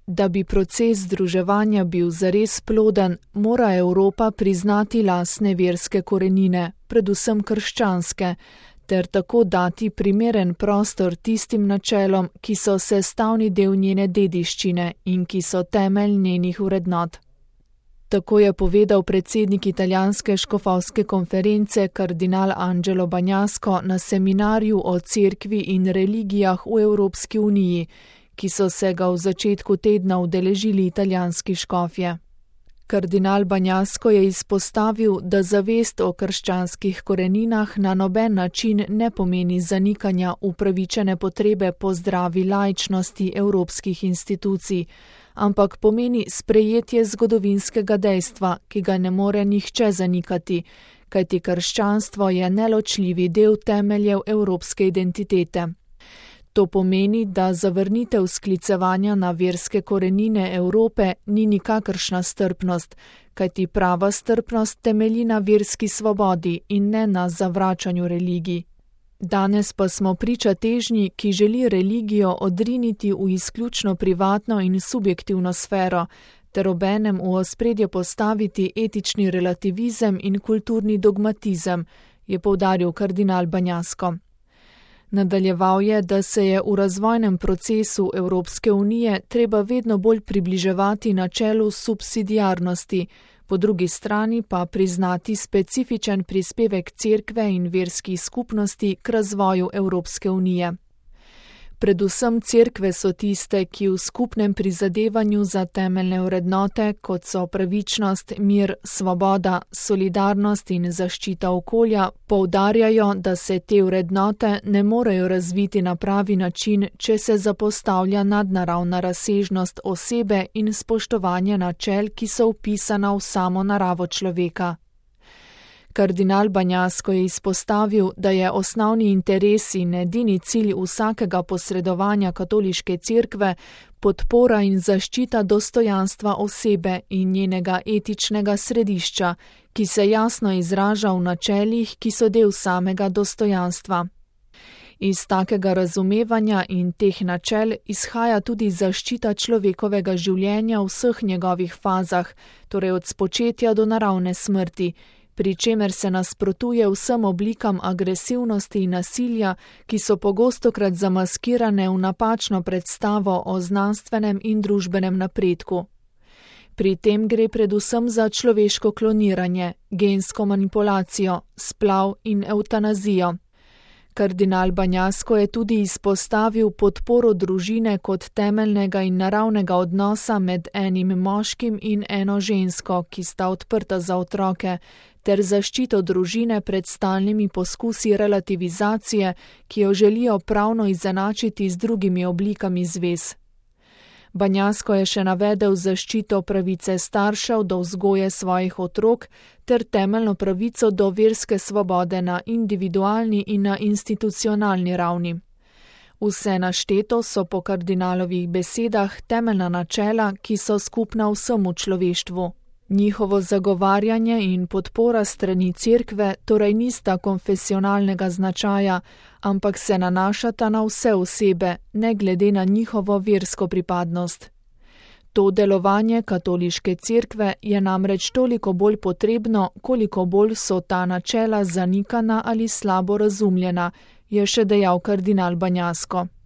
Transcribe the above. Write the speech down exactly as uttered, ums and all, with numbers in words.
Da bi proces združevanja bil zares ploden, mora Evropa priznati lastne verske korenine, predvsem krščanske, ter tako dati primeren prostor tistim načelom, ki so sestavni del njene dediščine in ki so temelj njenih vrednot. Tako je povedal predsednik italijanske škofovske konference kardinal Angelo Bagnasco na seminarju o cerkvi in religijah v Evropski uniji, ki so se ga v začetku tedna udeležili italijanski škofje. Kardinal Bagnasco je izpostavil, da zavest o krščanskih koreninah na noben način ne pomeni zanikanja upravičene potrebe po zdravi laičnosti evropskih institucij, ampak pomeni sprejetje zgodovinskega dejstva, ki ga ne more nihče zanikati, kajti krščanstvo je neločljivi del temeljev evropske identitete. To pomeni, da zavrnitev sklicevanja na verske korenine Evrope ni nikakršna strpnost, kajti prava strpnost temelji na verski svobodi in ne na zavračanju religij. Danes pa smo priča težnji, ki želi religijo odriniti v izključno privatno in subjektivno sfero, ter obenem v ospredje postaviti etični relativizem in kulturni dogmatizem, je poudaril kardinal Bagnasco. Nadaljeval je, da se je v razvojnem procesu Evropske unije treba vedno bolj približevati načelu subsidiarnosti, po drugi strani pa priznati specifičen prispevek cerkve in verskih skupnosti k razvoju Evropske unije. Predvsem cerkve so tiste, ki v skupnem prizadevanju za temeljne vrednote, kot so pravičnost, mir, svoboda, solidarnost in zaščita okolja, poudarjajo, da se te vrednote ne morejo razviti na pravi način, če se zapostavlja nadnaravna razsežnost osebe in spoštovanje načel, ki so vpisana v samo naravo človeka. Kardinal Bagnasco je izpostavil, da je osnovni interes in edini cilj vsakega posredovanja katoliške cerkve podpora in zaščita dostojanstva osebe in njenega etičnega središča, ki se jasno izraža v načelih, ki so del samega dostojanstva. Iz takega razumevanja in teh načel izhaja tudi zaščita človekovega življenja v vseh njegovih fazah, torej od spočetja do naravne smrti, pri čemer se nasprotuje vsem oblikam agresivnosti in nasilja, ki so pogostokrat zamaskirane v napačno predstavo o znanstvenem in družbenem napredku. Pri tem gre predvsem za človeško kloniranje, gensko manipulacijo, splav in evtanazijo. Kardinal Bagnasco je tudi izpostavil podporo družine kot temeljnega in naravnega odnosa med enim moškim in eno žensko, ki sta odprta za otroke, ter zaščito družine pred stalnimi poskusi relativizacije, ki jo želijo pravno izenačiti z drugimi oblikami zvez. Bagnasco je še navedel zaščito pravice staršev do vzgoje svojih otrok ter temeljno pravico do verske svobode na individualni in na institucionalni ravni. Vse našteto so po kardinalovih besedah temeljna načela, ki so skupna vsemu človeštvu. Njihovo zagovarjanje in podpora strani cerkve torej nista konfesionalnega značaja, ampak se nanašata na vse osebe, ne glede na njihovo versko pripadnost. To delovanje katoliške cerkve je namreč toliko bolj potrebno, koliko bolj so ta načela zanikana ali slabo razumljena, je še dejal kardinal Bagnasco.